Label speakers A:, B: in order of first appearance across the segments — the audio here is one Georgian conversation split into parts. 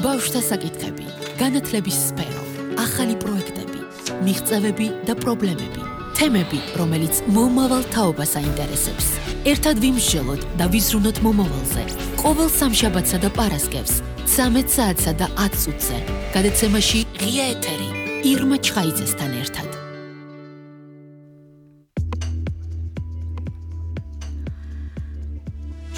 A: ბავშვთა საკითხები, განათლების სფერო, ახალი პროექტები, მიღწევები და პრობლემები, თემები, რომელიც მომავალ თაობას აინტერესებს. ერთად ვიმსჯელოთ და ვიზრუნოთ მომავალზე. ყოველ სამშაბათსა და პარასკევს, 13 საათსა და 10 წუთზე, გადაცემაში ღია ეთერი, ირმა ჩხაიძესთან ერთად.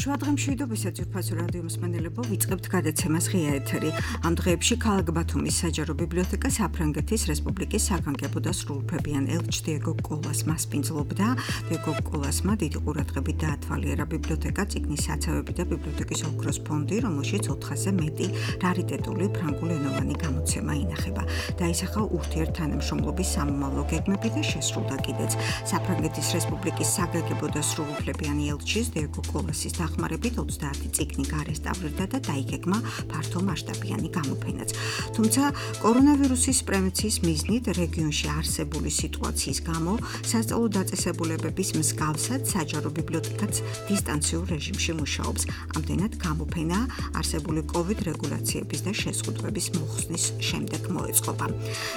B: შუადღემშვიდობისა ძვირფასო რადიო მსმენელებო, ვიწყებთ გადაცემას ღია ეთერი. ამ დღეებში ქალაქ ბათუმის საჯარო ბიბლიოთეკა საფრანგეთის რესპუბლიკის საგანგებო და სრულუფლებიან ელჩ დიეგო კოლას მასპინძლობდა. დიეგო კოლასმა დიდი ყურადღებით დაათვალიერა ბიბლიოთეკა, წიგნის საცავები და ბიბლიოთეკის ოქროს ფონდი, რომელშიც 400-ზე მეტი რარიტეტული ფრანგულენოვანი გამოცემა ინახება. დაისახა ურთიერთთანამშრომლობის სამომავლო გეგმები და შესრულდა კიდეც საფრანგეთის რესპუბლიკის საგანგებო და სრულუფლებიანი ელჩის დიეგო კოლასის დახმარებით 30 წიგნი გარესტავრირდა და დაიგეგმა ფართო მასშტაბიანი გამოფენაც. თუმცა კორონავირუსის პრევენციის მიზნით რეგიონში არსებული სიტუაციის გამო სასწავლო დაწესებულებების მსგავსად საჯარო ბიბლიოთეკაც დისტანციურ რეჟიმში მუშაობს. ამდენად გამოფენა არსებული COVID რეგულაციების და შეზღუდვების მოხსნის შემდეგ მოეწყობა.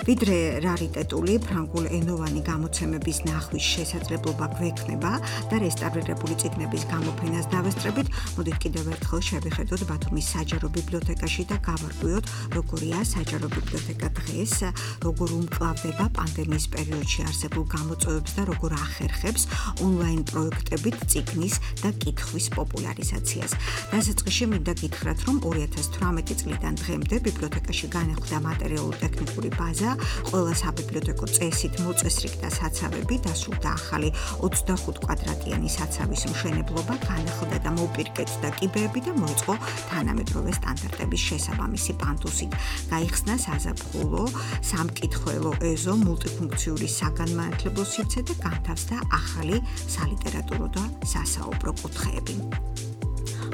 B: ვიდრე რარიტეტული ფრანგულენოვანი გამოცემების ნახვის შესაძლებლობა გვექნება და რესტავრირებული წიგნების გამოფენას დავესწრებით, მოდით კიდევ ერთხელ შევხედოთ ბათუმის საჯარო ბიბლიოთეკაში და გავარკვიოთ, როგორია საჯარო ბიბლიოთეკა დღეს, როგორ უმკლავდება პანდემიის პერიოდში არსებულ გამოწვევებს და როგორ ახერხებს ონლაინ პროექტებით წიგნის და კითხვის პოპულარიზაციას. დასაწყისში მინდა გითხრათ, რომ 2018 წლიდან დღემდე ბიბლიოთეკაში განახლდა მატერიალურ-ტექნიკური ბაზა, ყველა საბიბლიოთეკო წესით მოწესრიგდა საცავები, დასრულდა ახალი 25 კვადრატიანი საცავის მშენებლობა, განახლდა და მოპირკეთდა კიბეები და მოიწყო თანამედროვე სტანდარტების შესაბამისი პანტუსით. გაიხსნა საზაფხულო, სამკითხველო ეზო, მულტიფუნქციური საგანმანათლებლო სივრცე და განთავსდა ახალი სალიტერატურო და სასაუბრო კუთხეები.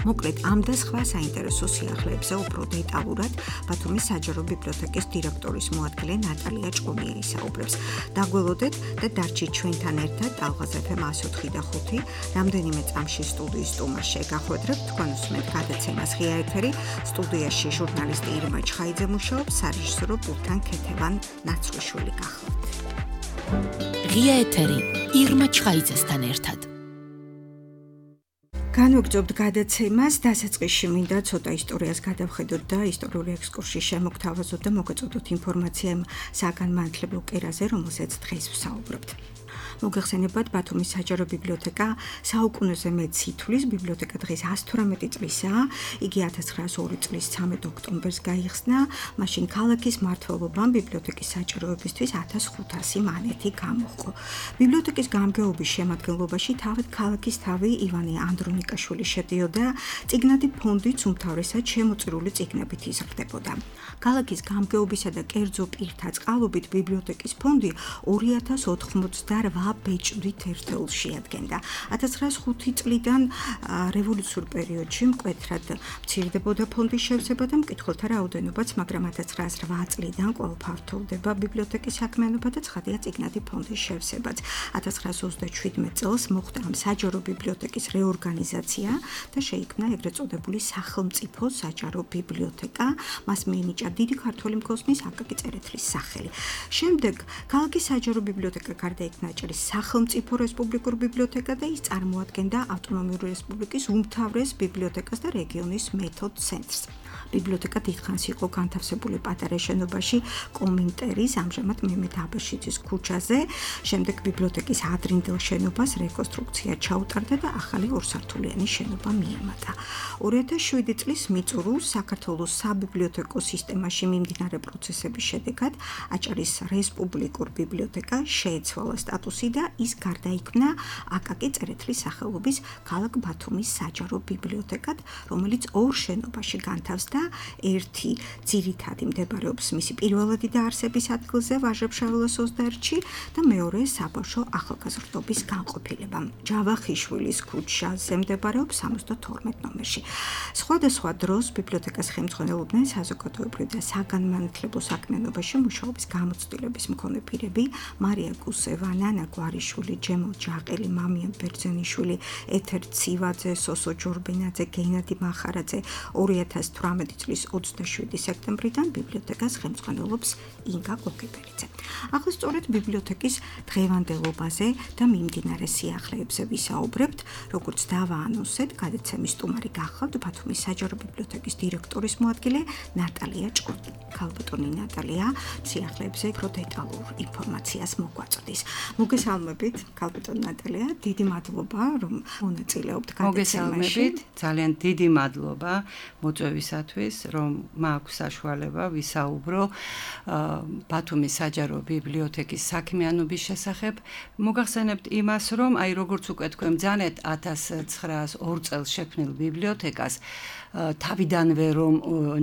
B: მოკლედ, ამ და სხვა საინტერესო სიახლეებზე უფრო დეტალურად ბათუმის საჯარო ბიბლიოთეკის დირექტორის მოადგილე ნატალია ჭყონიერი საუბრებს. დაგველოდეთ და დარჩით ჩვენთან ერთად ტალღაზ FM 104 და 5. რამდენიმე წამში სტუდიის სტუმარს შეგახვედრებთ, თქვენ უსმენთ გადაცემას ღია ეთერი. სტუდიაში ჟურნალისტი ირმა ჩხაიძე მუშაობს, სარეჟისორო პულტთან ქეთევან ნაცრუშვილი გახლავთ.
A: ღია ეთერი, ირმა ჩხაიძესთან ერთად.
B: განვაგრძობთ გადაცემას, დასაწყისში მინდა ცოტა ისტორიას გადავხედოთ და ისტორიული ექსკურსიის შემოგთავაზოთ და მოგეწოდოთ ინფორმაცია იმ საგანმანათლებლო კერაზე, რომელზეც დღეს ვსაუბრობთ. მოგეხსენებათ, ბათუმის საჯარო ბიბლიოთეკა საუკუნეზე მეტ სითვლის ბიბლიოთეკა დღეს 118 წლისაა. იგი 1902 წლის 13 ოქტომბერს გაიხსნა. მაშინ ქალაქის მმართველობამ ბიბლიოთეკის საჭიროებისთვის 1500 მანეთი გამოჰყო. ბიბლიოთეკის გამგეობის შემადგენლობაში თავად ქალაქის თავი ივანე ანდრონიკაშვილი შედიოდა. წიგნადი ფონდიც უმთავრესად შემოწირული წიგნებით იზრდებოდა. ქალაქის გამგეობისა და კერძო პირთა წყალობით ბიბლიოთეკის ფონდი 2088 ბეჭდვით ერთეულს შეადგენდა. 1905 წლიდან რევოლუციურ პერიოდში მკვეთრად მცირდებოდა ფონდის შევსება და მკითხველთა რაოდენობაც, მაგრამ 1908 წლიდან კვლავ ფართოვდება ბიბლიოთეკის საქმიანობა და ცხადია წიგნადი ფონდის შევსებაც. 1927 წელს მოხდა ამ საჯარო ბიბლიოთეკის რეორგანიზაცია და შეიქმნა ეგრეთ წოდებული სახელმწიფო საჯარო ბიბლიოთეკა. მას მიენიჭა დიდი ქართველი მგოსნის აკაკი წერეთლის სახელი. შემდეგ ქალაქის საჯარო ბიბლიოთეკა გარდა იქნა სახელმწიფო რესპუბლიკურ ბიბლიოთეკა და ის წარმოადგენდა ავტონომიური რესპუბლიკის უმთავრეს ბიბლიოთეკას და რეგიონის მეთოდ ცენტრს. ბიბლიოთეკა დიდხანს იყო განთავსებული პატარა შენობაში კომინტერის, ამჟამად მემედ აბაშიძის ქუჩაზე. შემდეგ ბიბლიოთეკის ადრინდელ შენობას რეკონსტრუქცია ჩაუტარდა და ახალი ორსართულიანი შენობა მიემატა. 2007 წლის მიწურულს საქართველოს საბიბლიოთეკო სისტემაში მიმდინარე პროცესების შედეგად აჭარის რესპუბლიკურ ბიბლიოთეკა შეეცვალა სტატუსი და ის გარდაიქმნა აკაკი წერეთლის სახელობის ქალაქ ბათუმის საჯარო ბიბლიოთეკად, რომელიც ორ შენობაში განთავსდა. ერთი ძირითადი მდებარეობს მისი პირველადი დაარსების ადგილზე ვაჟა-ფშაველას 21-ში და მეორე საბავშვო ახალგაზრდობის განყოფილება. ჯავახიშვილის ქუჩაზე მდებარეობს 72 ნომერში. სხვადასხვა დროს ბიბლიოთეკას ხელმძღვანელობდნენ საზოგადოებრივ და საგანმანათლებლო საქმიანობაში მუშაობის გამოცდილების მქონე პირები, მარია გუსევა, ნანა გვარიშვილი, ჯემო ჯაყელი, მამია ბერძენიშვილი, ეთერ ცივაძე, სოსო ჯორბენაძე, გენადი მახარაძე, 2018 2017 წლის 27 სექტემბრიდან ბიბლიოთეკას ხელმძღვანელობს ინგა კოკიბერიძე. ახლა სწორედ ბიბლიოთეკის დღევანდელობაზე და მიმდინარე სიახლეებზე ვისაუბრებთ, როგორც დავაანონსეთ, გადაცემის სტუმარი გახლავთ ბათუმის საჯარო ბიბლიოთეკის დირექტორის მოადგილე ნატალია ჭკუდი. ქალბატონი ნატალია სიახლეებზე უფრო დეტალურ ინფორმაციას მოგვაწვდის. მოგესალმებით, ქალბატონი ნატალია, დიდი მადლობა, რომ მონაწილეობთ გადაცემაში.
C: ძალიან დიდი მადლობა მოწვევისათვის, რომ მაქვს საშუალება ვისაუბრო ბათუმის საჯარო ბიბლიოთეკის საქმიანობის შესახებ. მოგახსენებთ იმას, რომ აი როგორც უკვე თქვენ ბრძანეთ 1902 წელს შექმნილ ბიბლიოთეკას თავიდანვე რომ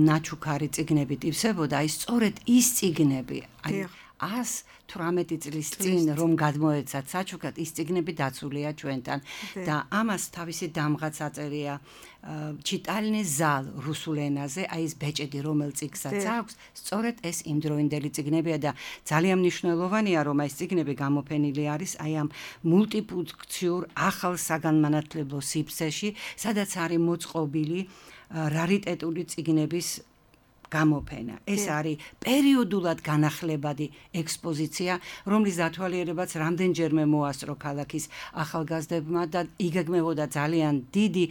C: ნაჩუქარი წიგნებით ივსებოდა, აი სწორედ ის წიგნები, აი 118 წლის წინ რომ გადმოეცათ საჩუქრად, ის წიგნები დაცულია ჩვენთან და ამას თავისი დამღაც აწერია ჩიტალნე ზალ რუსულ ენაზე, აი ეს ბეჭედი რომელ წიგნსაც აქვს, სწორედ ეს იმდროინდელი წიგნებია და ძალიან მნიშვნელოვანია რომ ეს წიგნები გამოფენილი არის აი ამ მულტიფუნქციურ ახალ საგანმანათლებლო სივრცეში, სადაც არის მოწყობილი რარიტეტული წიგნების გამოფენა. ეს არის პერიოდულად განახლებადი ექსპოზიცია, რომლის დათვალიერებაც რამდენჯერმე მოასწრო ქალაქის ახალგაზრდებმა და იგეგმებოდა ძალიან დიდი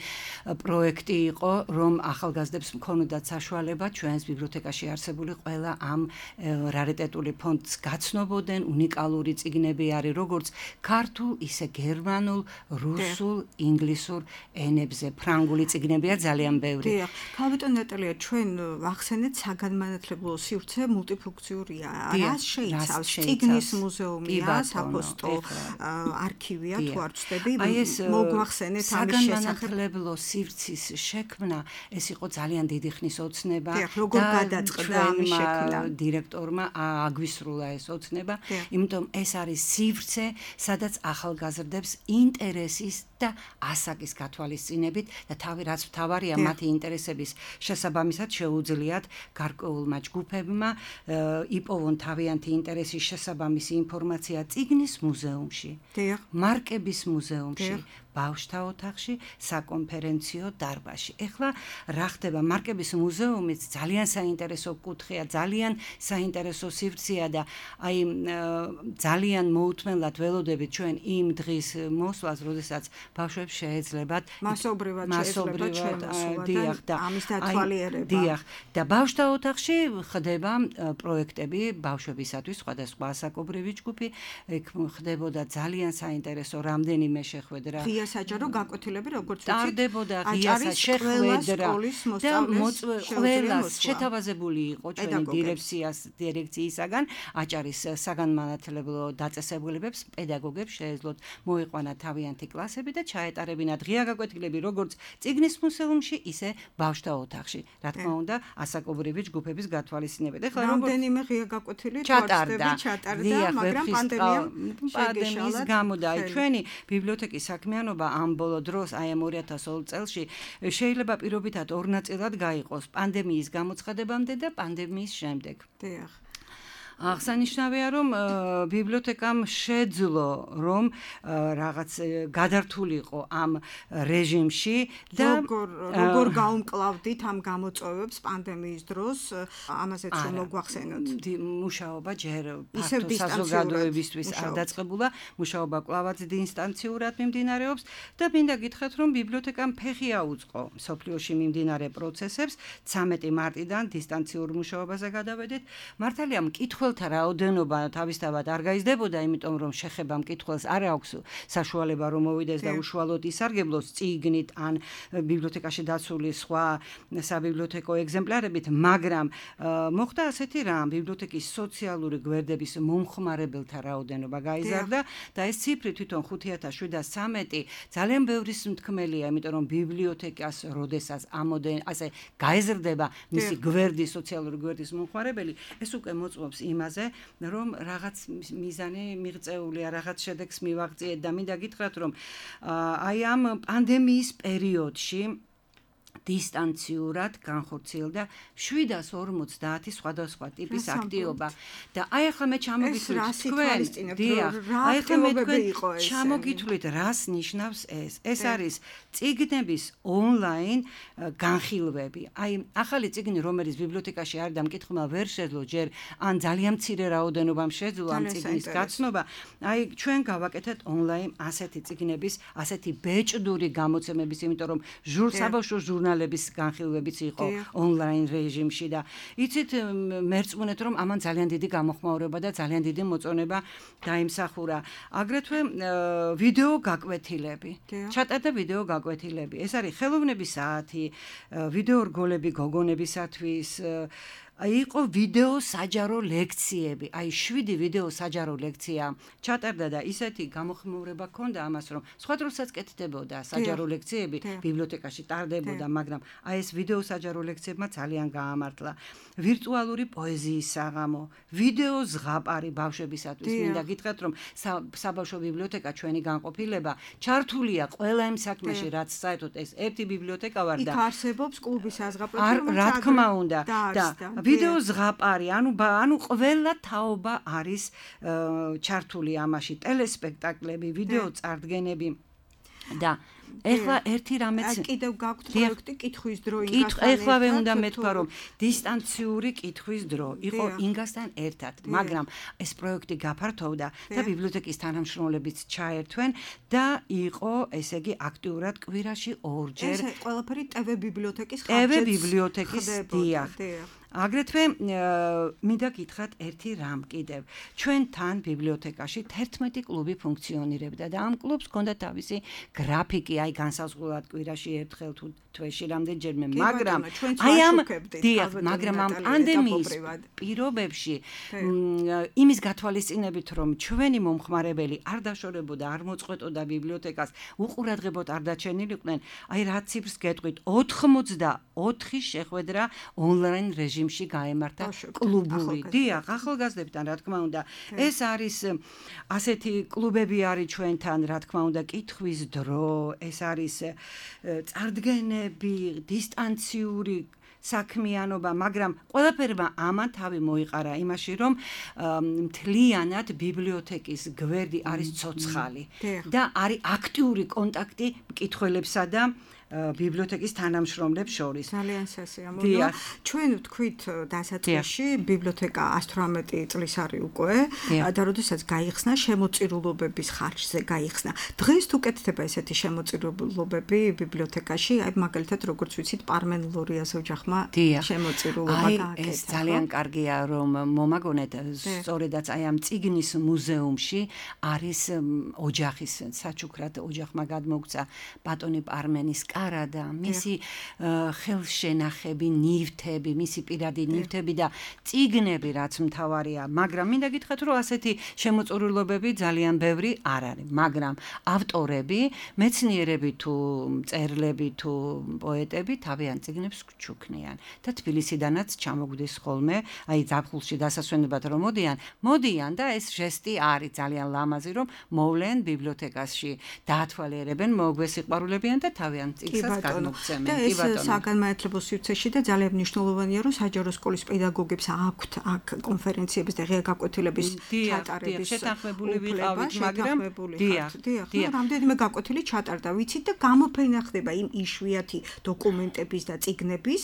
C: პროექტი იყო, რომ ახალგაზრდებს მქონოდათ საშუალება ჩვენს ბიბლიოთეკაში არსებული ყველა ამ რარიტეტული ფონდს გაცნობოდნენ. უნიკალური წიგნები არის როგორც ქართულ, ისე გერმანულ, რუსულ, ინგლისურ ენებზე. ფრანგული წიგნებია ძალიან ბევრი.
B: ქალბატონი ნატალია, ჩვენ ვახსენეთ საგანმანათლებლო სივრცე მულტიფუნქციურია. რას შეიცავს? წიგნის მუზეუმია, საფოსტო არქივია, თუ არ ვცდები, მოგვახსენეთ ამის შესახებ.
C: საგანმანათლებლო სივრცის შექმნა, ეს იყო ძალიან დიდი ხნის ოცნება
B: და გადაწყდა ამის შექმნა.
C: დირექტორმა აგვისრულა ეს ოცნება, იმიტომ ეს არის სივრცე, სადაც ახალგაზრდებს ინტერესის და ასაკის გათვალისწინებით და რაც მთავარია მათი ინტერესების შესაბამისად შეუძლიათ გარკვეულმა ჯგუფებმა იპოვონ თავიანთი ინტერესის შესაბამისი ინფორმაცია წიგნის მუზეუმში, მარკების მუზეუმში, ბავშვთა ოთახში, საკონფერენციო დარბაზში. ეხლა რა ხდება? მარკების მუზეუმიც ძალიან საინტერესო კუთხეა, ძალიან საინტერესო სივრცეა და აი ძალიან მოუთმენლად ველოდებით ჩვენ იმ დღის მოსვლას, როდესაც ბავშვებს შეეძლებათ
B: მასობრივად
C: დიახ და
B: ამის დათვალიერება.
C: დიახ და ბავშვთა ოთახში ხდება პროექტები ბავშვებისათვის, სხვადასხვა ასაკობრივი ჯგუფი, ეგ ხდებოდა ძალიან საინტერესო რამდენიმე შეხვედრა.
B: საჯარო გაკვეთილები, როგორც ვიცით,
C: ტარდებოდა ღია შეხვედრა და ყველას შეთავაზებული იყო ჩვენი დირექციისაგან აჭარის საგანმანათლებლო დაწესებულებებს, პედაგოგებს შეეძლოთ მოიყვანა თავიანთი კლასები და ჩაეტარებინათ ღია გაკვეთილები როგორც წიგნის მუზეუმში, ისე ბავშვთა ოთახში. რა თქმა უნდა, ასაკობრივი ჯგუფების გათვალისწინებით. ეხლა
B: რამდენიმე ღია გაკვეთილი ჩატარდა, მაგრამ
C: პანდემიის გამო და აი ჩვენი ბიბლიოთეკის საქმიანობა ამ ბოლო დროს, აი ამ 2020 წელში შეიძლება პირობითად ორ ნაწილად გაიყოს: პანდემიის გამოცხადებამდე და პანდემიის შემდეგ.
B: დიახ.
C: აღსანიშნავია, რომ ბიბლიოთეკამ შეძლო, რომ რაღაც გადართულიყო ამ რეჟიმში და
B: როგორ გაუმკლავდით ამ გამოწვევებს პანდემიის დროს, ამაზეც რომ მოგვახსენოთ.
C: მუშაობა ჯერ ფართო საზოგადოებისთვის არ დაწყებულა, მუშაობა კვლავაც დინსტანციურად მიმდინარეობს და მინდა გითხრათ, რომ ბიბლიოთეკამ ფეხი აუწყო მსოფლიოში მიმდინარე პროცესებს. 13 მარტიდან დინსტანციურ მუშაობაზე გადავედით. მართალია მკითხველთა რაოდენობა თავისთავად არ გაიზრდებოდა, იმიტომ რომ შეხება მკითხველს არ აქვს საშუალება რომ მოვიდეს და უშუალოდ ისარგებლოს წიგნით ან ბიბლიოთეკაში დაცული სხვა საბიბლიოთეკო ეგზემპლარებით, მაგრამ მოხდა ასეთი რამ, ბიბლიოთეკის სოციალური გვერდების მომხმარებელთა რაოდენობა გაიზარდა და ეს ციფრი თვითონ 5713 ძალიან ბევრი სუნთქმელია, იმიტომ რომ ბიბლიოთეკას როდესაც ასე გაეზრდება მისი გვერდი, სოციალური გვერდის მომხმარებელი, ეს უკვე მოწმობს იმაზე, რომ რაღაც მიზანი მიღწეულია, რაღაც შედეგს მივაღწიეთ და მინდა გითხრათ, რომ აი ამ პანდემიის პერიოდში დისტანციურად განხორციელდა 750 სხვადასხვა ტიპის აქტივობა და აი ახლა მე ჩამოგითვლით თქვენ აი ახლა მე თქვენ ჩამოგითვლით რას ნიშნავს ეს არის წიგნების ონლაინ განხილვები აი ახალი წიგნი რომელიც ბიბლიოთეკაში არის და მკითხველმა ვერ შეძლო ჯერ ან ძალიან მცირე რაოდენობამ შეძლო ამ წიგნის გაცნობა აი ჩვენ გავაკეთეთ ონლაინ ასეთი წიგნების ასეთი ბეჭდური გამოცემების იმიტომ რომ საბავშვო ჟურნალების განხილვებიც იყო ონლაინ რეჟიმში და იცით მერწმუნეთ რომ ამან ძალიან დიდი გამოხმაურება და ძალიან დიდი მოწონება დაიმსახურა აგრეთვე ვიდეო გაკვეთილები ჩატარდა ვიდეო გაკვეთილები ეს არის ხელოვნების საათი ვიდეო რგოლები გოგონებისათვის იყო ვიდეო საჯარო ლექციები. აი 7 ვიდეო საჯარო ლექცია ჩატარდა და ისეთი გამოხმაურება ჰქონდა ამას რომ სხვა დროსაც კეთდებოდა საჯარო ლექციები ბიბლიოთეკაში ტარდებოდა, მაგრამ აი ეს ვიდეო საჯარო ლექციებმა ძალიან გაამართლა. ვირტუალური პოეზიის საღამო, ვიდეო ზღაპარი ბავშვებისათვის. მინდა გითხრათ რომ საბავშვო ბიბლიოთეკა ჩვენი განყოფილება ჩართულია ყველა იმ საქმეში, რაც საერთოდ ეს ერთი ბიბლიოთეკა ვარ და
B: იქ არსებობს კლუბის საზღაპრები,
C: რა თქმა უნდა და ვიდეო ზღაპარი, ანუ ყველა თაობა არის ჩართული ამაში, ტელესპექტაკლები, ვიდეო წარდგენები და ეხლა ერთი რამეც
B: კიდევ გაქვთ პროექტი კითხვის დრო
C: ინგასთან ეხლავე უნდა მეთქვა რომ დისტანციური კითხვის დრო იყო ინგასთან ერთად მაგრამ ეს პროექტი გაფართოვდა და ბიბლიოთეკის თანამშრომლებიც ჩაერთვენ და იყო ესე იგი აქტიურად კვირაში ორჯერ
B: ეს ყველაფერი TV ბიბლიოთეკის
C: დიახ აგრეთვე მინდა გითხრათ ერთი რამ კიდევ ჩვენთან ბიბლიოთეკაში 11 კლუბი ფუნქციონირებდა და ამ კლუბს ჰქონდა თავისი გრაფიკი აი განსაზღვრულად კვირაში ერთხელ თუ თვეში რამდენჯერმე მაგრამ აი მაგრამ ამ პანდემიის პირობებში იმის გათვალისწინებით რომ ჩვენი მომხმარებელი არ დაშორებოდა არ მოწყვეტოდა ბიბლიოთეკას უყურადღებოდ არ დაჩენილიყვნენ აი რა ციფრს გეტყვით 84 შეხვედრა ონლაინ რეჟიმში გაემართა კლუბური დიახ ახალგაზრდებთან რა თქმა უნდა ეს არის ასეთი კლუბები არის ჩვენთან რა თქმა უნდა კითხვის დრო ეს არის წარდგენები დისტანციური საქმიანობა, მაგრამ ყველაფერმა ამან თავი მოიყარა იმაში, რომ მთლიანად ბიბლიოთეკის გვერდი არის ცოცხალი და არის აქტიური კონტაქტი მკითხველებსა და ბიბლიოთეკის თანამშრომლებს შორის.
B: ძალიან სასიამოვნოა. ჩვენ ვთქვით დასაწყისში ბიბლიოთეკა 118 წლის არის უკვე და როდესაც გაიხსნა შემოწირულობების ხარჯზე გაიხსნა. დღეს თუ კეთდება ესეთი შემოწირულობები ბიბლიოთეკაში, აი მაგალითად როგორც ვიცით პარმენ-ლორიას ოჯახმა შემოწირულობა გააკეთა.
C: ეს ძალიან კარგია რომ მომაგონეთ სწორედაც აი ამ წიგნის მუზეუმში არის ოჯახის საჩუქრად ოჯახმა გადმოგცა ბატონი პარმენის და მისი ხელშენახები, ნივთები, მისი პირადი ნივთები და წიგნები რაც მთავარია, მაგრამ მინდა გითხრათ რომ ასეთი შემოწირულობები ძალიან ბევრი არ არის, მაგრამ ავტორები, მეცნიერები თუ მწერლები თუ პოეტები თავიანთ წიგნებს ჩუქნიან და თბილისიდანაც ჩამოგვდის ხოლმე, აი ზაფხულში დასასვენებლად რომ მოდიან და ეს ჟესტი არის ძალიან ლამაზი რომ მოვლენ ბიბლიოთეკაში დაათვალიერებენ, მოგვესიყვარულებიან და თავიანთ
B: და ეს საგანმანათლებლო სივრცეში და ძალიან მნიშვნელოვანია რომ საჯარო სკოლის პედაგოგებს აქვთ აქ კონფერენციების და ღია გაკვეთილების ჩატარების
C: შეთანხმებული ვიყავით მაგრამ
B: რამდენიმე გაკვეთილი ჩატარდა ვიცით და გამოფენა ხდება იმ იშვიათი დოკუმენტების და წიგნების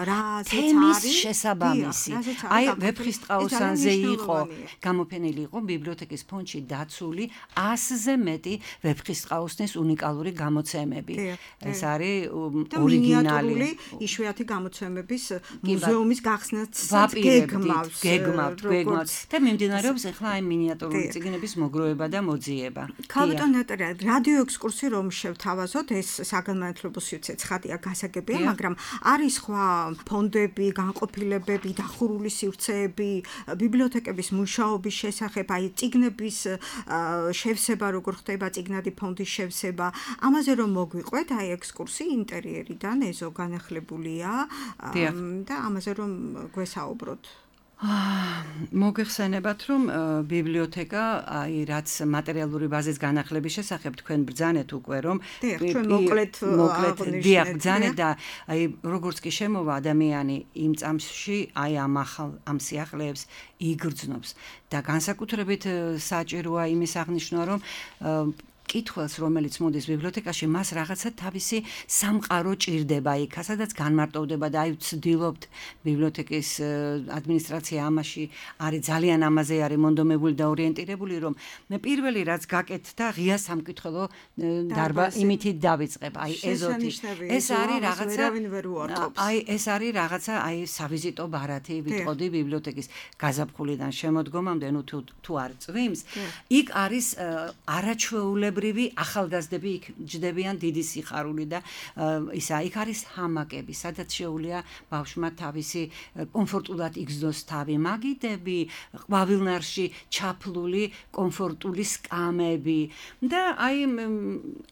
B: რაზეც არის
C: შესაბამისი აი ვეფხისტყაოსანზე იყო გამოფენილი იყო ბიბლიოთეკის ფონდში დაცული 100-ზე მეტი ვეფხისტყაოსნის უნიკალური გამოცემები ეს არის ორიგინალი
B: იშვიათი გამოცემების მუზეუმის გახსნაც
C: გეგმავთ და მიმდინარეობს ახლა აი მინიატურული წიგნების მოგროვება და მოძიება.
B: ქალბატონ ნატალია, რადიო ექსკურსი რომ შევთავაზოთ, ეს საგანმანათლებლო სივრცე ცხადია, გასაგებია, მაგრამ არის სხვა ფონდები, განყოფილებები, დახურული სივრცეები, ბიბლიოთეკების მუშაობის შესახებ, აი წიგნების შევსება, როგორ ხდება წიგნადი ფონდის შევსება, ამაზე რომ მოგვიყვეთ, აი ექსკურსი ინტერიერიდან ეზო განახლებულია და ამაზე რომ გვესაუბროთ.
C: მოგეხსენებათ, რომ ბიბლიოთეკა, აი, რაც მატერიალური ბაზის განახლების შესახებ თქვენ ბრძანეთ უკვე, რომ
B: მოკლედ
C: ბრძანეთ და აი, როგორც კი შემოვა ადამიანი იმ წამსში, აი ამ სიახლეებს იგრძნობს და განსაკუთრებით საჭიროა იმის აღნიშვნა, რომ კითხვას, რომელიც მოდის ბიბლიოთეკაში, მას რაღაცა თავისი სამყარო ჭირდება იქ, სადაც განმარტოვდება და აი ვცდილობთ ბიბლიოთეკის ადმინისტრაცია ამაში არის ძალიან ამაზე არის მონდომებული და ორიენტირებული, რომ პირველი რაც გაკეთდა, ღია სამკითხველო დარბა იმითი დავიწყებ, აი ეზოთი. ეს არის რაღაცა აი ეს არის რაღაცა აი სავიზიტო ბარათი ვიტყოდი ბიბლიოთეკის გაზაფხულიდან შემოდგომამდე, ნუ თუ არ წვიმს, იქ არის არაჩვეულებრივი ახალგაზრდები იქ ჯდებიან დიდი სიხარული და ისა იქ არის ჰამაკები, სადაც შეუძლია ბავშვმა თავისი კომფორტულად იგრძნოს თავი, მაგიდები, ყვავილნარში ჩაფლული კომფორტული სკამები და აი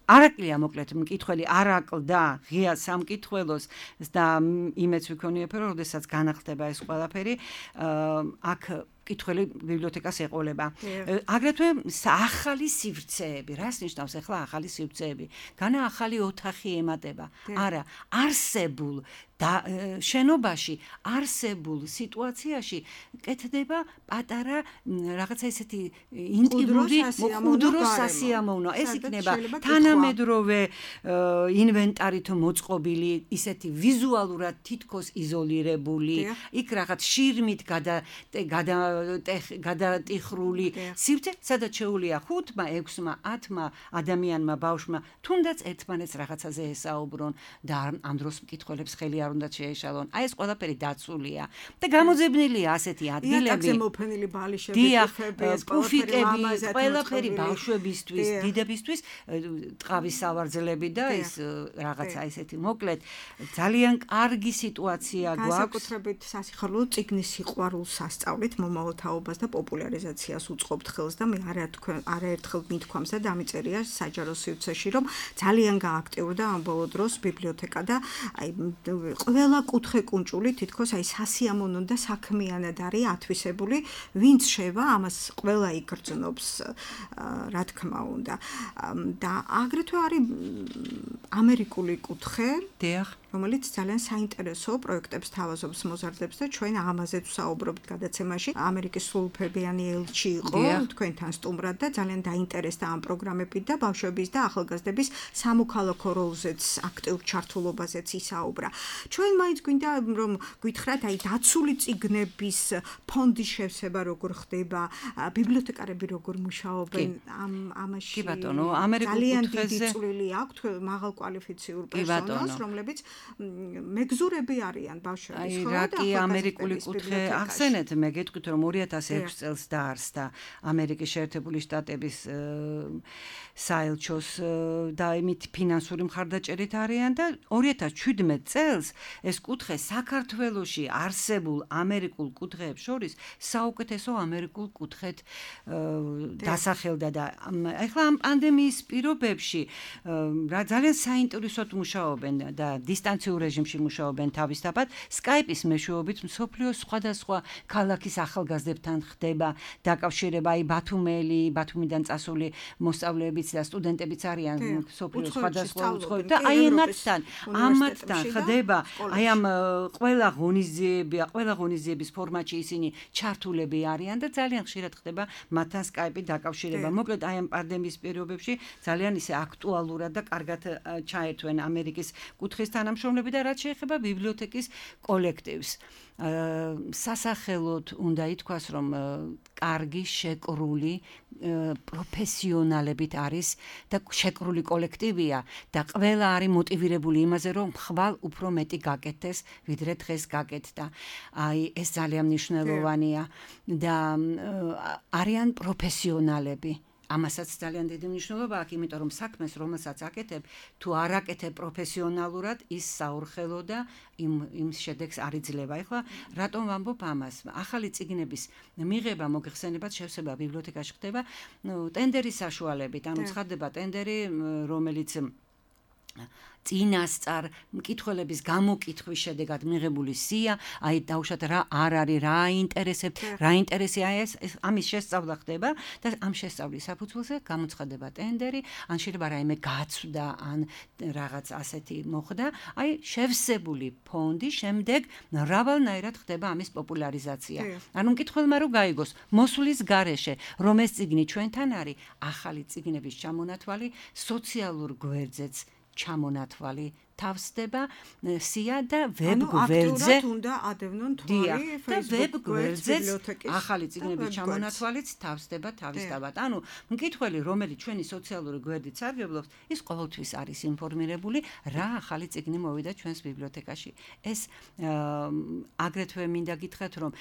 C: არაკლია მოკლედ მკითხველი არაკლდა ღია სამკითხველოს და იმეც ვიქონიებ, რომ როდესაც განახლდება ეს ყველაფერი, აქ კითხველი ბიბლიოთეკას ეყოლება. აგრეთვე ახალი სივრცეები, რას ნიშნავს ახლა ახალი სივრცეები? განა ახალი ოთახი ემატება. არა, არსებულ და შენობაში არსებულ სიტუაციაში კეთდება პატარა რაღაცა ისეთი ინტიმური მკვდრო სასიამოვნო. ეს იქნება თანამედროვე ინვენტარით მოწყობილი, ისეთი ვიზუალურად თითქოს იზოლირებული, იქ რაღაც შირმით გადატიხრული სივრცე, სადაც შეუძლია 5-მა, 6-მა, 10-მა ადამიანმა, ბავშვმა თუნდაც ერთმანეთს რაღაცაზე ესაუბრონ და ამ დროს მკითხველებს ხელი არ უნდა შეეშალონ. აი ეს ყველაფერი დაცულია და გამოძებნილია ასეთი ადგილები.
B: იატაკზე მოფენილი ბალიშები,
C: პუფიკები, ყველაფერი ბავშვებისთვის, დიდებისთვის, ტყავის სავარძლები და ის რაღაცა ესეთი მოკლედ ძალიან კარგი სიტუაცია გვაქვს.
B: განსაკუთრებით სასიხარულო წიგნის სიყვარულს სასწავლით მომავალ თაობას და პოპულარიზაციას უწყობთ ხელს და მე არაერთხელ მithქვამს და დამიწერია საჯარო სივრცეში, რომ ძალიან გააქტიურდა ამ ბოლო დროს ბიბლიოთეკა და აი ყველა კუთხე კუნჭული თითქოს აი სასიამოვნო და საქმიანად არის ათვისებული, ვინც შევა ამას ყველა იგრძნობს, რა თქმა უნდა. და აგრეთვე არის ამერიკული კუთხე, რომელიც ძალიან საინტერესო პროექტებს თავაზობს, მოზარდებს და ჩვენ ამაზე ვსაუბრობთ გადაცემაში. ამერიკის სრულუფლებიანი ელჩი იყო თქვენთან სტუმრად და ძალიან დაინტერესდა ამ პროგრამებით და ბავშვების და ახალგაზრდების სამოქალაქო როლზეც, აქტიურ ჩართულობაზეც ისაუბრა. ჩვენ მაინც გვინდა რომ გითხრათ, აი დაცული წიგნების ფონდის შევსება როგორ ხდება, ბიბლიოთეკარები როგორ მუშაობენ ამაში.
C: კი ბატონო, ამერიკულ კუთხეზე
B: ძალიან დიდი წვლილი აქვთ მაღალკვალიფიციურ პერსონალს, რომლებიც მეგზურები არიან ბავშვების
C: ხო და კი ამერიკული კუთხე ახსენეთ, მე გეტყვით რომ 2006 წელს დაარსდა ამერიკის შეერთებული შტატების საელჩოს და იმით ფინანსური მხარდაჭერით არიან და 2017 წელს ეს კუთხე საქართველოში არსებულ ამერიკულ კუთხეებს შორის საუკეთესო ამერიკულ კუთხედ დასახელდა და ეხლა ამ პანდემიის პირობებში რა ძალიან საინტერესოდ მუშაობენ და დისტანციურ რეჟიმში მუშაობენ თავისთავად Skype-ის მეშვეობით მსოფლიოს სხვადასხვა ქალაქის ახალგაზრდებთან ხდება დაკავშირება, აი ბათუმიდან წასული მოსწავლეებიც და სტუდენტებიც არიან მსოფლიოს სხვადასხვა უცხოეთში და აი ამათთან ხდება აი ამ ყველა ღონისძიების ფორმატში ისინი ჩართულები არიან და ძალიან ხშირად ხდება მათთან Skype-ი დაკავშირება. მოკლედ აი ამ პანდემიის პირობებში ძალიან ისე აქტუალურად და კარგად ჩაერთვენ ამერიკის კუთხის თანამშრომლები და რაც შეეხება ბიბლიოთეკის კოლექტივს. სასახელოდ უნდა ითქვას, რომ კარგი შეკრული პროფესიონალებით არის და შეკრული კოლექტივია და ყველა არის მოტივირებული იმაზე, რომ ხვალ უფრო მეტი გაკეთდეს, ვიდრე დღეს გაკეთდა. აი ეს ძალიან მნიშვნელოვანია და არიან პროფესიონალები. ამასაც ძალიან დიდი მნიშვნელობა აქვს, იმიტომ რომ საქმეს, რომელსაც აკეთებ, თუ არ აკეთებ პროფესიონალურად, ის საურხელო და იმ შედეგს არ იძლევა. ეხლა რატომ ვამბობ ამას? ახალი წიგნების მიღება, მოგეხსენებათ, შევსება ბიბლიოთეკაში ხდება ტენდერის საშუალებით, ანუ ცხადდება ტენდერი, რომელიც
D: წინასწარ მკითხველების გამოკითხვის შედეგად მიღებული სია, აი დავუშვათ რა არ არის, რა აინტერესებთ, რა ინტერესი ეს ამის შესწავლა ხდება და ამ შესწავლის საფუძველზე გამოცხადება ტენდერი, ან შეიძლება რაიმე გაცვდა, ან რაღაც ასეთი მოხდა, აი შევსებული ფონდი შემდეგ მრავალნაირად ხდება ამის პოპულარიზაცია. ანუ მკითხველმა რო გაიგოს მოსვლის გარეშე, რომ ეს წიგნი ჩვენთან არის, ახალი წიგნების ჩამონათვალი სოციალურ გვერდზეც ჩამონათვალი თავსდება სია და ვებ გვერდზე
B: უნდა ადევნონ თვალი
D: Facebook გვერდზეც ახალი წიგნების ჩამონათვალიც თავსდება თავისთავად. ანუ მკითხველი რომელიც ჩვენი სოციალური გვერდით სარგებლობს, ის ყოველთვის არის ინფორმირებული რა ახალი წიგნი მოვიდა ჩვენს ბიბლიოთეკაში. ეს აგრეთვე მინდა გითხრათ რომ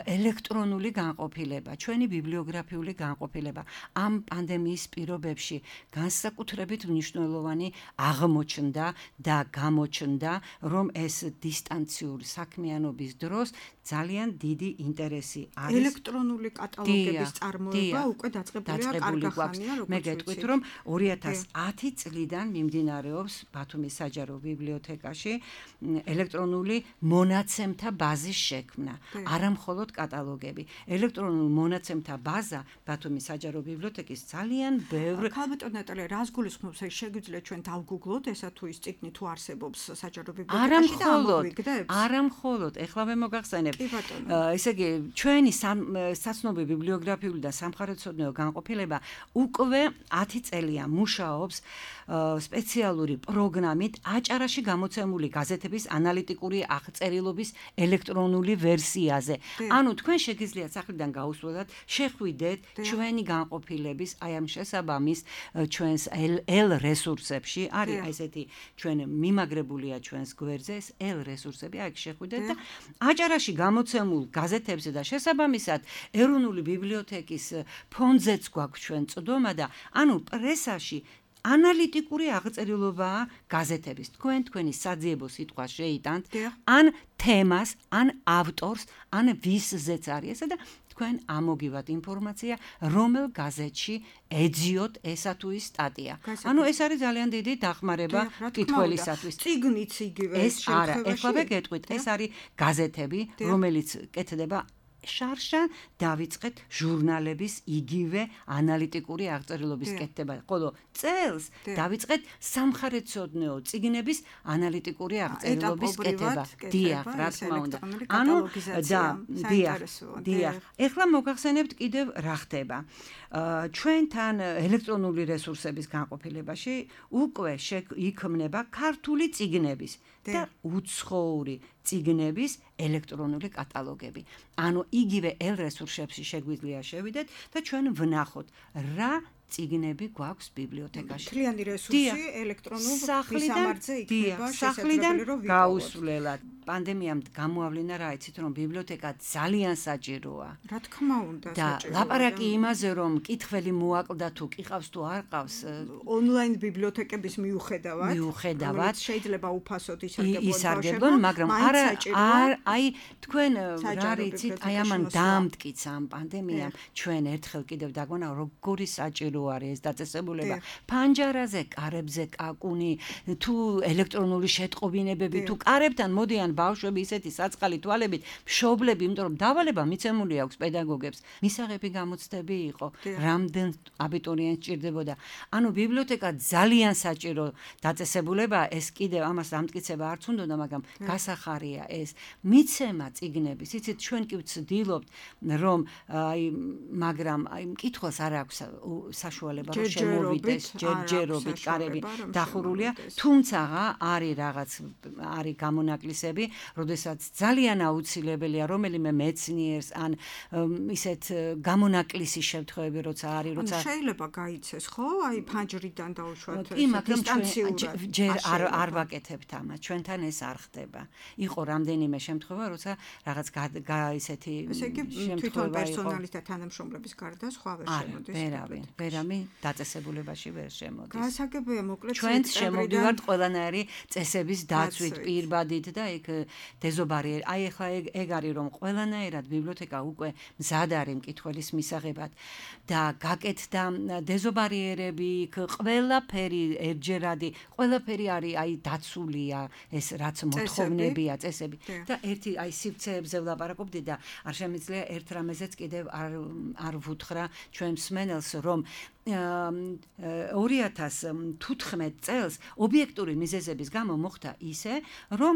D: ელექტრონული განყოფილება, ჩვენი ბიბლიოგრაფიული განყოფილება ამ პანდემიის პირობებში განსაკუთრებით მნიშვნელოვანი აღმოჩნდა და გამოჩნდა, რომ ეს დისტანციური საქმიანობის დროს ძალიან დიდი ინტერესი არის.
B: ელექტრონული კატალოგების წარმოება უკვე დაწყებულია კარგახანია, როგორც
D: მე გეტყვით, რომ 2010 წლიდან მიმდინარეობს ბათუმის საჯარო ბიბლიოთეკაში ელექტრონული მონაცემთა ბაზის შექმნა, არა მხოლოდ კატალოგები. ელექტრონული მონაცემთა ბაზა ბათუმის საჯარო ბიბლიოთეკის ძალიან ბევრ
B: ქალბატონ ნატალია, რას გულისხმობს, ეს შეგვიძლია ჩვენ დავგუგლოთ, ესა თუ ის წიგნი თუ არსებობს საჯარო ბიბლიოთეკაში და ამოვიგდებს?
D: არა მხოლოდ, ეხლავე მოგახსენებ. ესე იგი, ჩვენი საცნობი ბიბლიოგრაფიული და სამხარეთმცოდნეო განყოფილება უკვე 10 წელია მუშაობს სპეციალური პროგრამით აჭარაში გამოცემული გაზეთების ანალიტიკური აღწერილობის ელექტრონული ვერსიაზე. ანუ თქვენ შეგიძლიათ სახლიდან გაუსვლელად, შეხვიდეთ ჩვენი განყოფილების აი ამ შესაბამის ჩვენს L რესურსებში, არის ესეთი ჩვენ მიმაგრებულია ჩვენს გვერდზე ეს L რესურსები, აი შეხვიდეთ და აჭარაში გამოცემულ გაზეთებზე და შესაბამისად ეროვნული ბიბლიოთეკის ფონდზეც გვაქვს ჩვენ წვდომა და ანუ პრესაში ანალიტიკური აღწერილობაა გაზეთების. თქვენი საძიებო სიტყვა შეიტანთ, ან თემას, ან ავტორს, ან ვისზეც არის ესა და თქვენ ამოგივათ ინფორმაცია, რომელ გაზეთში ეძიოთ ესა თუ ის სტატია. ანუ ეს არის ძალიან დიდი დახმარება მკითხველისათვის.
B: წიგნიც იგივე
D: ეს არა, ეხლა გეტყვით, ეს არის გაზეთები, რომელიც კეთდება შარშან დავიწყეთ ჟურნალების იგივე ანალიტიკური აღწერილობის კეთდება. ხოლო წელს დავიწყეთ სამხარეთმცოდნეო წიგნების ანალიტიკური აღწერილობის კეთება. დიახ, რა თქმა უნდა. ანუ დიახ. ეხლა მოგახსენებთ კიდევ რა ხდება. ჩვენთან ელექტრონული რესურსების განყოფილებაში უკვე იქმნება ქართული წიგნების და უცხოური წიგნების ელექტრონული კატალოგები. ანუ იგივე L რესურსებში შეგვიძლია შევიდეთ და ჩვენ ვნახოთ რა წიგნები გვაქვს ბიბლიოთეკაში.
B: მთლიანი რესურსი ელექტრონულ მისამართზე იქნება
D: შესაძლებელი რომ გაუსვლელად. პანდემიამ გამოავლინა რა იცით რომ ბიბლიოთეკა ძალიან საჭიროა.
B: რა თქმა უნდა,
D: საჭიროა. და ლაპარაკი იმაზე რომ მკითხველი მოაკლდა თუ ყავს თუ არ ყავს
B: ონლაინ ბიბლიოთეკების მიუხედავად
D: შეიძლება
B: უფასოდ
D: ისარგებლონ, მაგრამ არა აი თქვენ რა იცით აი ამან დამტკიცა ამ პანდემიამ ჩვენ ერთხელ კიდევ დაგვანა როგორი საჭირო არის ეს დაწესებულება. ფანჯარაზე, კარებზე კაკუნი, თუ ელექტრონული შეტყობინებები, თუ კარებთან მოდიან ბავშვები ისეთი საწყალი თვალებით, მშობლები, იმიტომ რომ დავალება მიცემული აქვს პედაგოგებს. მისაღები გამოცდები იყო, რამდენ აბიტურიენტს ჭირდებოდა. ანუ ბიბლიოთეკა ძალიან საჭირო დაწესებულება, ეს კიდევ ამას დამტკიცება არც უნდოდა, მაგრამ გასახარია ეს. მიცემა წიგნების, იცით, ჩვენ კი ვცდილობთ, რომ აი მაგრამ აი მკითხველს არ აქვს საშუალება რომ შემოვიდეს ჯერჯერობით კარები დახურულია, თუმცა არის რაღაც არის გამონაკლისები, როდესაც ძალიან აუცილებელია რომელიმე მეცნიერს ან ისეთ გამონაკლისის შემთხვევები როცა არის, როცა
B: შეიძლება გაიცეს, ხო? აი ფანჯრიდან დაუშვათ
D: დისტანციურად. ჯერ არ ვაკეთებთ ამას, ჩვენთან ეს არ ხდება. იყო რამდენიმე შემთხვევა, როცა რაღაც ისეთი
B: შემთხვევა იყო. თვითონ პერსონალის და თანამშრომლების გარდა სხვა ვერ შემოდის.
D: ვერავინ ადამი დაწესებულებაში ვერ შემოდის.
B: გასაგებია მოკლედ
D: ჩვენც შემოვდივართ ყველანაირი წესების დაცვით, პირბადით და იქ დეზობარი. აი ახლა ეგ არის რომ ყველანაირად ბიბლიოთეკა უკვე მზად არის მკითხველის მისაღებად და გაკეთდა დეზობარიერები, ყველაფერი ერთჯერადი, ყველაფერი არის აი დაცულია ეს რაც მოთხოვნებია წესები და ერთი აი სივრცეებზე ვლაპარაკობდი და არ შემიძლია ერთ რამეზეც კიდევ არ ვუთხრა ჩვენ მსმენელს რომ 2015 წელს ობიექტური მიზეზების გამო მოხდა ისე რომ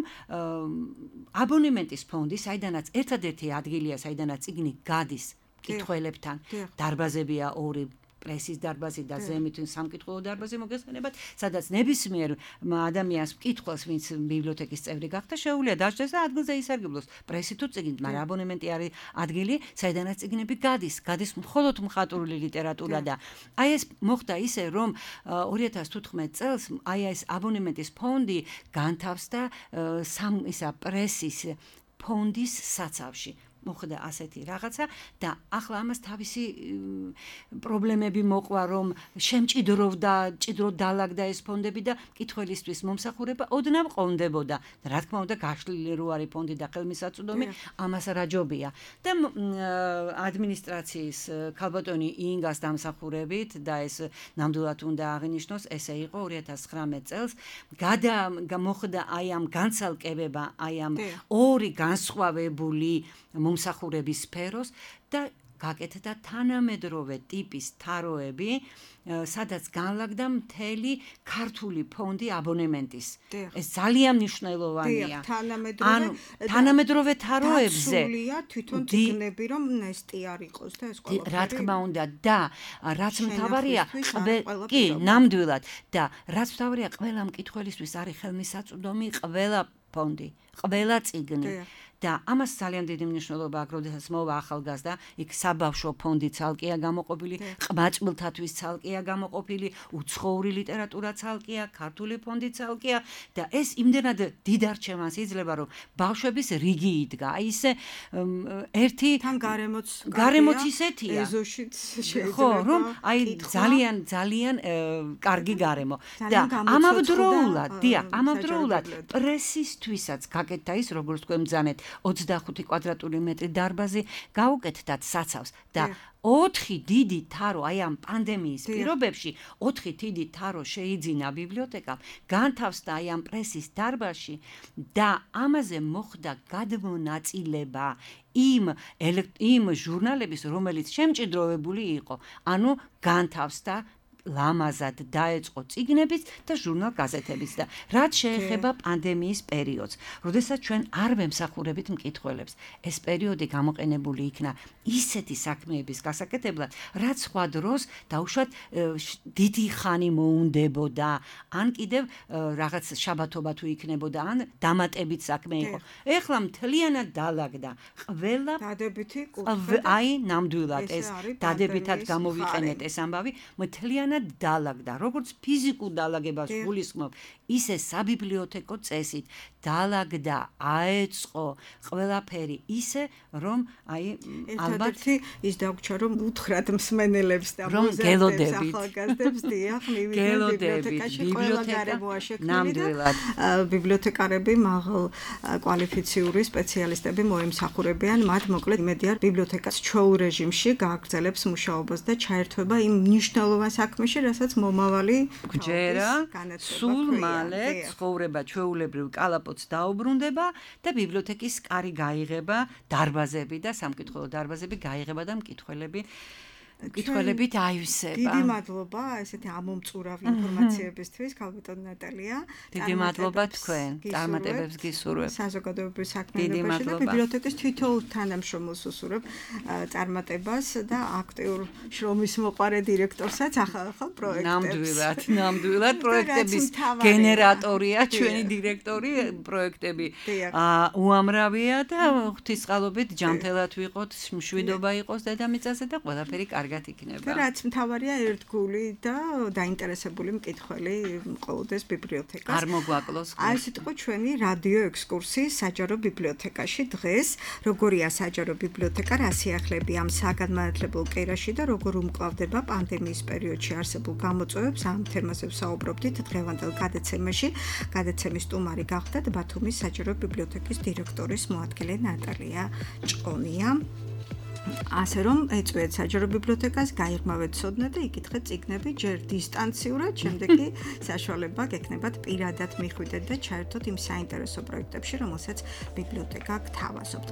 D: აბონემენტის ფონდი საიდანაც ერთადერთი ადგილია საიდანაც წიგნი გადის მკითხველებთან დარბაზებია 2 პრესის დარბაზი და ზემოთ სამკითხველო დარბაზი მოგესალმებათ, სადაც ნებისმიერ ადამიანს მკითხველს, ვინც ბიბლიოთეკის წევრი გახდა, შეუძლია დაჭდეს და ადგილზე ისარგებლოს პრესი თუ წიგნით, მაგრამ აბონემენტი არის ადგილი, საიდანაც წიგნები გადის მხოლოდ მხატვრული ლიტერატურა და აი ეს მოხდა ისე, რომ 2015 წელს აი ეს აბონემენტის ფონდი განთავსდა პრესის ფონდის საცავში. მოხდა ასეთი რაღაცა და ახლა ამას თავისი პრობლემები მოყვა რომ შემჭიდროვდა დალაგდა ეს ფონდები და მკითხველისთვის მომსახურება ოდნავ ყონდებოდა და რა თქმა უნდა გაშლილი რო არის ფონდი და ხელმისაწვდომი ამას რაჯობია და ადმინისტრაციის ქალბატონი ინგას დამსახურებით და ეს ნამდვილად უნდა აღინიშნოს ესე იყო 2019 წელს მოხდა აი ამ განცალკევება აი ამ 2 განსხვავებული მომსახურების სფეროს და გაკეთდა თანამედროვე ტიპის თაროები, სადაც განლაგდა მთელი ქართული ფონდი აბონემენტის. ეს ძალიან მნიშვნელოვანია. თანამედროვე თაროებზე
B: თვითონ წიგნები რომ ნესტი არ იყოს და ეს ყველაფერი.
D: რა თქმა უნდა და რაც მთავარია, კი, ნამდვილად და რაც მთავარია, ყველა მკითხველისთვის არის ხელმისაწვდომი ყველა ფონდი, ყველა წიგნი. და ამას ძალიან დიდი მნიშვნელობა აქვს, როდესაც მოვა ახალგაზრდა, იქ საბავშვო ფონდი ცალკეა გამოყოფილი, ყმაწვილთათვის ცალკეა გამოყოფილი, უცხოური ლიტერატურა ცალკეა, ქართული ფონდი ცალკეა და ეს იმდენად დიდ არჩევანს იძლევა, რომ ბავშვების რიგი იდგა. აი ესე ერთი
B: თან
D: გარემოც ისეთია.
B: ეზოშიც შეიძლება.
D: ხო, რომ აი ძალიან კარგი გარემო. და ამავდროულად პრესისთვისაც გაკეთდა ის, როგორც თქვენ ბრძანეთ 25 კვადრატული მეტრი დარბაზი გაუკეთდათ საცავს და 4 დიდი თარო აი ამ პანდემიის პირობებში 4 დიდი თარო შეიძინა ბიბლიოთეკამ განთავსდა აი ამ პრესის დარბაზში და ამაზე მოხდა გადმონაწილება იმ ჟურნალების რომელიც შემჭიდროვებული იყო ანუ განთავსდა ლამაზად დაეწყო წიგნებიც და ჟურნალ გაზეთებიც და რაც შეეხება პანდემიის პერიოდს, როდესაც ჩვენ არ ვემსახურებით მკითხველებს, ეს პერიოდი გამოყენებული იქნა ისეთი საქმეების გასაკეთებლად, რაც სხვა დროს დაუშვათ დიდი ხანი მოუნდებოდა, ან კიდევ რაღაც შაბათობა თუ იქნებოდა, ან დამატებით საქმე იყო. ეხლა მთლიანად დალაგდა ყველა
B: დადებითი კუთხე.
D: აი, ნამდვილად ეს დადებითად გამოვიყენეთ ეს ამბავი, მთლიანად დალაგდა, როგორც ფიზიკურ დალაგებას გულისხმობ, ისე საბიბლიოთეკო წესით დალაგდა, აეწყო ყველაფერი ისე, რომ აი ალბათ
B: ის დაგვრჩა, რომ უთხრათ მსმენელებს და მოზარდებს ახალგაზრდებს დიახ, მივიდნენ ბიბლიოთეკაში, ყველა გარემოა შექმნილი და ბიბლიოთეკარები მაღალ კვალიფიციური სპეციალისტები მოემსახურებიან, მათ მოკლედ იმედია ბიბლიოთეკას ჩვეულ რეჟიმში გააგრძელებს მუშაობას და ჩაერთვება იმ მნიშვნელოვან საქმეში, რასაც მომავალი
D: გჯერა, სულ მალე ცხოვრება ჩვეულებრივ კალაპოტს დაუბრუნდება და ბიბლიოთეკის კარი გაიღება, დარბაზები და სამკითხველო დარბაზები გაიღება და მკითხველებით აივსება.
B: დიდი მადლობა ესეთი ამომწურავ ინფორმაციებისთვის, ქალბატონ ნატალია.
D: დიდი მადლობა თქვენ, წარმატებებს გისურვებ.
B: საზოგადოებრივ საქმიანობაში და ბიბლიოთეკის თითოეულ თანამშრომელს უსურვებ წარმატებას და აქტიურ შრომის მოყარე დირექტორსაც ახალ პროექტებს.
D: ნამდვილად პროექტების გენერატორია ჩვენი დირექტორი, პროექტები უამრავია და ღვთისყალობით ჯანმრთელად ვიყოთ, მშვიდობა იყოს დედამიწაზე და ყველაფერი კარგად
C: კარგად იქნება.
B: და რაც მთავარია ერთგული და დაინტერესებული მკითხველი მყოლდეს ბიბლიოთეკას.
C: არ მოგვაკლოს.
B: აი ეს იყო ჩვენი რადიო ექსკურსი საჯარო ბიბლიოთეკაში დღეს. როგორია საჯარო ბიბლიოთეკა, რა სიახლეები ამ საგანმანათლებელ კერაში და როგორ უმკლავდება პანდემიის პერიოდში არსებულ გამოწვევებს, ამ თემაზე ვსაუბრობდით დღევანდელ გადაცემაში. გადაცემის სტუმარი გახდათ ბათუმის საჯარო ბიბლიოთეკის დირექტორის მოადგილე ნატალია ჭყონია. ასე რომ ეწვიეთ საჯარო ბიბლიოთეკას, გაიღმავეთ ცოდნა და იკითხეთ წიგნები ჯერ დისტანციურად, შემდეგ კი საშუალება გექნებათ პირადად მიხვიდეთ და ჩაერთოთ იმ საინტერესო პროექტებში, რომელსაც ბიბლიოთეკა გთავაზობთ.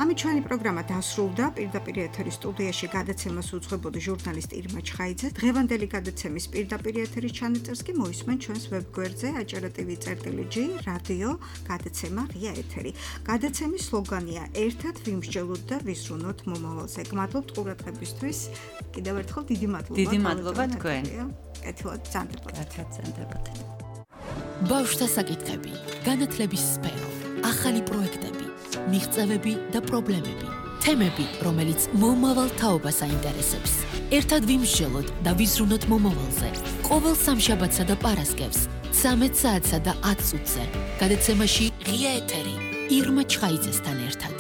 B: ამით ჩვენი პროგრამა დასრულდა. პირდაპირ ეთერის სტუდიაში გადაცემას უძღვებოდა ჟურნალისტ ირმა ჩხაიძე. დღევანდელი გადაცემის პირდაპირ ეთერის ჩანაწერს კი მოისმენთ ჩვენს ვებგვერდზე acara.tv/g რადიო გადაცემა ღია ეთერი. გადაცემის სლოგანია ერთად ვიმსჯელოთ და ვიზრუნოთ მომავალზე. გმადლობთ ყურადღებისთვის. კიდევ ერთხელ დიდი მადლობა.
C: დიდი მადლობა თქვენ.
B: კეთილად
C: გაცანდებოდეთ.
A: ბავშვთა საკითხები, განათლების სფერო, ახალი პროექტები, მიღწევები და პრობლემები, თემები, რომელიც მომავალ თაობას აინტერესებს. ერთად ვიმსჯელოთ და ვიზრუნოთ მომავალზე. ყოველ სამშაბათსა და პარასკევს 13 საათსა და 10 წუთზე. გადაცემაში ღია ეთერი ირმა ჩხაიძესთან ერთად.